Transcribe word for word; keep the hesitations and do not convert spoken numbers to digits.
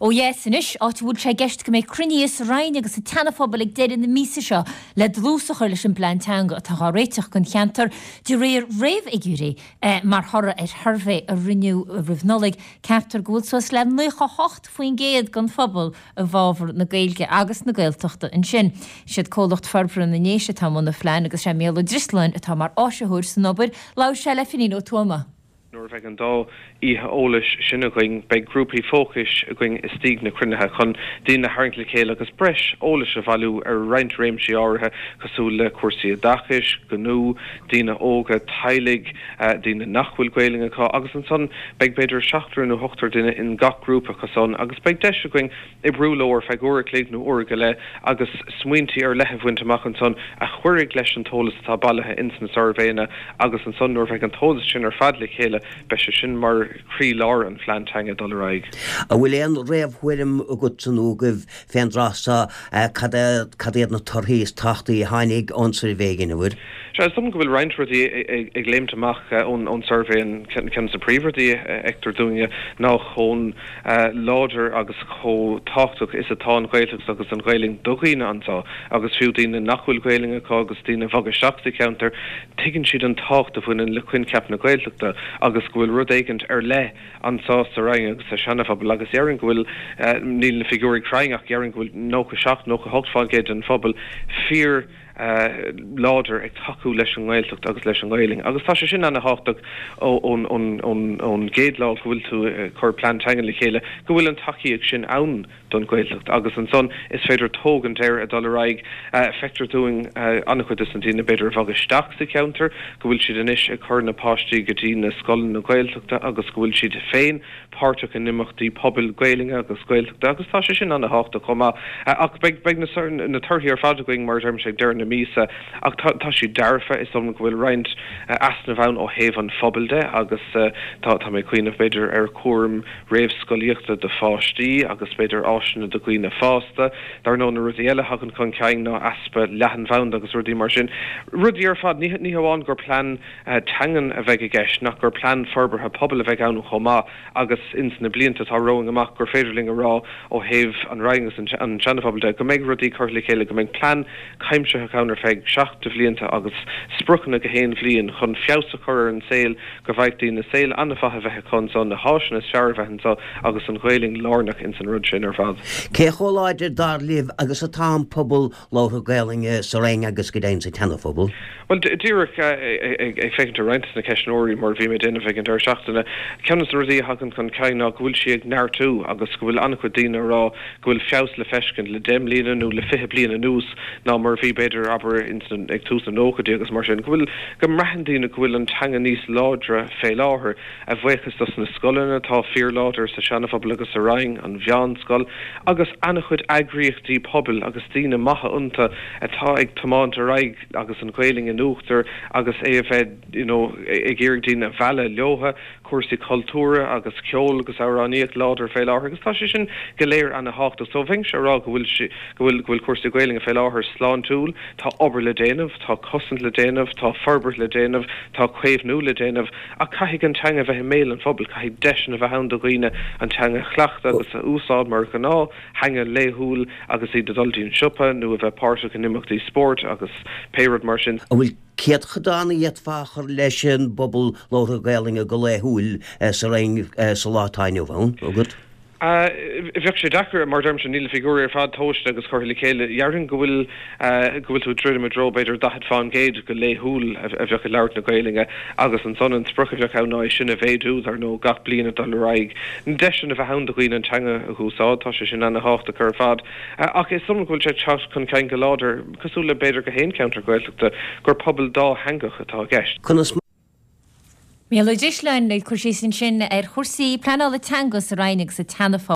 Ó dheas anois, áit a bhfuil sé i gceist go mbeidh cruinnithe sa Rinn agus sa tSeana-Phobal ag deireadh na míosa seo le dlús a chur leis an bplean teanga atá á réiteach don cheantar de réir réamhfhigiúirí mar thoradh ar shuirbhé a rinneadh roimh Nollaig. Ceaptar go bhfuil suas le naocha hocht faoin gcéad den phobal i bhfabhar na Gaeilge agus na Gaeltachta ansin. Siad Comhlacht Forbartha na nDéise atá i mbun an phlean agus sé Mícheál Ó Drisleáin atá mar áisitheoir san obair. Labhair sé le Finín Ó Tuama. Nuair a bheidh an dá oíche eolais sin againn, beidh grúpaí fócais againn istigh na cruinnithe chun daoine a tharraingt le chéile agus breis eolais a bhailiú ar roinnt réimsí áirithe cosúil le cúrsaí oideachais, gnó, daoine óga, teaghlaigh, daoine nach bhfuil Gaelainn acu agus ansan beidh b'fhéidir seachtar nó ochtar duine in gach grúpa acu san agus beidh deis againn oibriú leo ar feadh uair a chloig nó uair go leith agus smaointí ar leith a bhaint amach ansan a chuirfidh leis an t-eolas atá bailithe ins na suirbhéanna agus ansan nuair a bheidh an t-eolas sin ar fad le chéile beidh sé sin mar chroílár an phlean teanga dul ar aghaidh. An bhfuil aon réamhthuairim agatsa nó agaibh fén dtráth so cad cad iad na torthaí is tábhachtaí a tháinig ón suirbhé a dheineabhair? Sea, is dóigh go bhfuil roinnt rudaí ag léimt amach ón ón suirbhé. An ceann de na príomhrudaí a fheictear dúinne ná chomh láidir agus chomh tábhachtach is atá an Ghaeltacht agus an Ghaelainn do dhaoine anseo agus fiú daoine nach bhfuil Gaelainn acu agus daoine a bhog isteach sa cheantar, tuigeann siad an tábhacht a bhaineann le coincheap na Gaeltachta agus go bhfuil rud éigint ar leith anseo sa Rinn agus sa Seana-Phobal agus déarfainn go bhfuil, níl na figiúirí cruinn ach déarfainn go bhfuil nócha seacht, nócha hocht fán gcéad den phobal fíor láidir ag tacú leis an nGaeltacht agus leis an nGaelainn agus tá sé sin ana-thábhachtach ón gcéad lá go bhfuil tú ag cur plean teanga le chéile go bhfuil an tacaíocht sin ann don Ghaeltacht agus ansan is féidir tógaint air ag dul ar aghaidh. Feictear dúinn an-chuid de na daoine b'fhéidir a bhog isteach sa cheantar go bhfuil siad anois ag cur na páistí go dtí na scoileanna Gaeltachta agus go bhfuil siad féin páirteach in imeachtaí pobail Gaelainne agus Gaeltachta agus tá sé sin ana-thábhachtach chomh maith. Ach beidh beidh na na torthaí ar fad againn mar a deirimse ag deireadh na míosa ach tá tá siad dearfa. Is dóigh liom go bhfuil roinnt easnamh ann ó thaobh an phobail de agus tá tá mé ag cuimhneamh b'fhéidir ar chúram réamhscolaíochta do pháistí agus b'fhéidir áiseanna do dhaoine fásta. Dar ndóigh na rudaí eile a thagann chun cinn ná easpa leathanbhanda agus rudaí mar sin. Rudaí ar fad, ní ní hamháin gur plean teangan a bheidh i gceist ach gur plean forbartha pobail a bheidh ann chomh maith agus ins na blianta atá romhainn amach gur féidir linn a rá ó thaobh an Rinn agus an tSeana-Phobail de go mbeidh rudaí curtha le chéile, go mbeidh plean cuimsitheach ann ar feadh seacht de bhlianta agus spriocanna gach aon bhliain chun feabhas a chur ar an saol, go bhfaighidh daoine saol an-mhaith a bheith acu anso, na háiseanna is fearr a bheith anso agus an Ghaelainn lárnach ins an rud sin ar fad. Cé chomh láidir, dar libh, agus atá an pobal labhartha Gaelainne sa Rinn agus go deimhin sa tSeana-Phobal? Bhuel, díreach ag féachaint ar roinnt de na ceistneoirí mar a bhí mé ag déanamh ag an deireadh seachtaine, ceann de na rudaí a thagann chun cinn ná go bhfuil sí ag neartú agus go bhfuil an-chuid daoine ag rá go bhfuil feabhas le feiscint le deich mbliana nó le fiche bliain anuas ná mar a bhí b'fhéidir, abair, ag tús na nóchaidí agus mar sin, go bhfuil, go mbraitheann daoine go bhfuil an teanga níos láidre fé láthair, a bhuíochas dos na scoileanna atá fíorláidir sa Seana-Phobal agus sa Rinn, an mheánscoil agus an-chuid eagraíochtaí pobail agus daoine maithe iontu atá ag tiomáint ar aghaidh agus an Ghaelainn in uachtar agus é a bheith you know ag iarraidh daoine a mhealladh leotha, cúrsaí cultúrtha agus ceol agus amhránaíocht láidir fé láthair agus tá sé sin go léir ana-thábhachtach. So bheinnse ag rá go bhfuil sé, go bhfuil, go bhfuil cúrsaí Gaelainne fé láthair sláintiúil, tá obair le déanamh, tá cosaint le déanamh, tá forbairt le déanamh, tá caomhnú le déanamh ach caithfidh an teanga a bheith i mbéal an phobail, caithfidh deiseanna a bheith ann do dhaoine an teanga a chleachtadh agus a úsáid mar ghnáth theanga laethúil agus iad ag dul dtí an siopa nó a bheith páirteach in imeachtaí spóirt agus pé rud mar sin. An bhfuil céatadán a d'fhéadfá a chur leis an bpobal labhartha Gaelainne go laethúil sa Rinn sa lá atá inniu ann agat? Bheadh sé deacair, mar a deirimse, níl na figiúirí ar fad tomhaiste agus curtha le chéile. Dhéarfainn go bhfuil, go bhfuil tú ag druidim i dtreo b'fhéidir daichead fán gcéad go laethúil a bheadh ag labhairt na Gaelainne agus ansan an sprioc a bheadh ann ná é sin a mhéadú, dar ndóigh, gach bliain ag dul ar aghaidh. Na deiseanna a bheith ann do dhaoine an teanga a úsáid, tá sé sin ana-thábhachtach ar fad. Ach is dóigh liom go bhfuil sé ag teacht chun cinn go láidir, cosúil le b'fhéidir gach aon cheantar Gaeltachta, gur pobal dátheangach atá i gceist. Conas Mícheál Ó Drisleáin ag cur síos ansin ar chúrsaí pleanála teanga sa Rinn agus sa tSeana-Phobal.